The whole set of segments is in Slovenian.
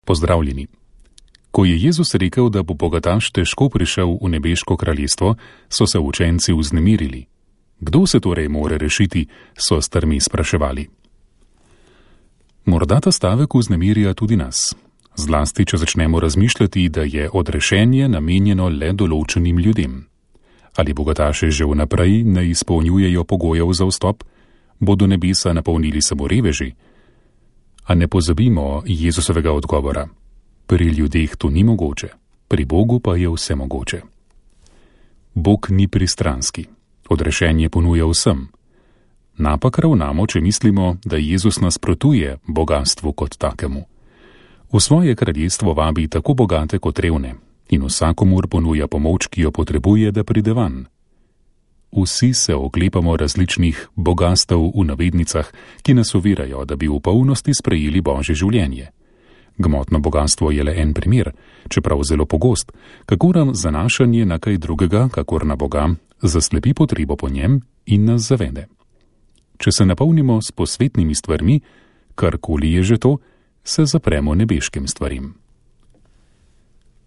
Pozdravljeni. Ko je Jezus rekel, da bo bogataš težko prišel v nebeško kraljestvo, so se učenci vznemirili. Kdo se torej more rešiti, so strmi spraševali. Morda ta stavek vznemirja tudi nas, zlasti če začnemo razmišljati, da je odrešenje namenjeno le določenim ljudem. Ali bogataše že vnaprej ne izpolnjujejo pogojev za vstop, bodo nebesa napolnili samo reveži? A ne pozabimo Jezusovega odgovora. Pri ljudeh to ni mogoče, pri Bogu pa je vse mogoče. Bog ni pristranski, odrešenje ponuja vsem. Napak ravnamo, če mislimo, da Jezus nasprotuje bogatstvu kot takemu. V svoje kraljestvo vabi tako bogate kot revne in vsakomur ponuja pomoč, ki jo potrebuje, da pride van. Vsi se oklepamo različnih bogastev v navednicah, ki nas ovirajo, da bi v polnosti sprejeli Božje življenje. Gmotno bogastvo je le en primer, čeprav zelo pogost, kako nam zanašanje na kaj drugega, kakor na Boga, zaslepi potrebo po njem in nas zavede. Če se napolnimo s posvetnimi stvarmi, karkoli je že to, se zapremo nebeškim stvarim.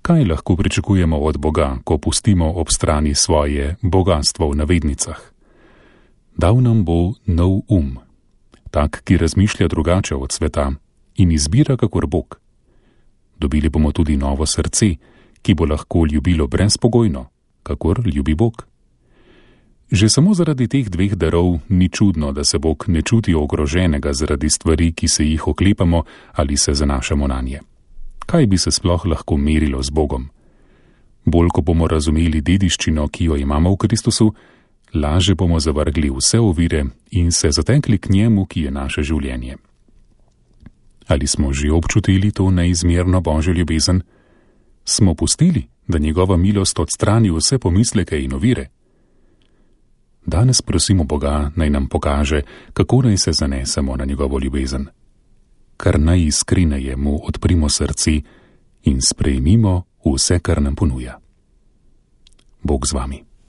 Kaj lahko pričakujemo od Boga, ko pustimo ob strani svoje bogastvo v navednicah? Dal nam bo nov tak, ki razmišlja drugače od sveta in izbira kakor Bog. Dobili bomo tudi novo srce, ki bo lahko ljubilo brezpogojno, kakor ljubi Bog. Že samo zaradi teh dveh darov ni čudno, da se Bog ne čuti ogroženega zaradi stvari, ki se jih oklepamo ali se zanašamo nanje. Kaj bi se sploh lahko merilo z Bogom? Bolj, ko bomo razumeli dediščino, ki jo imamo v Kristusu, laže bomo zavrgli vse ovire in se zatekli k njemu, ki je naše življenje. Ali smo že občutili to neizmerno Božjo ljubezen? Smo pustili, da njegova milost odstrani vse pomisleke in ovire? Danes prosimo Boga, naj nam pokaže, kako naj se zanesemo na njegovo ljubezen. Kar najiskreneje mu odprimo srce in sprejmimo vse, kar nam ponuja. Bog z vami.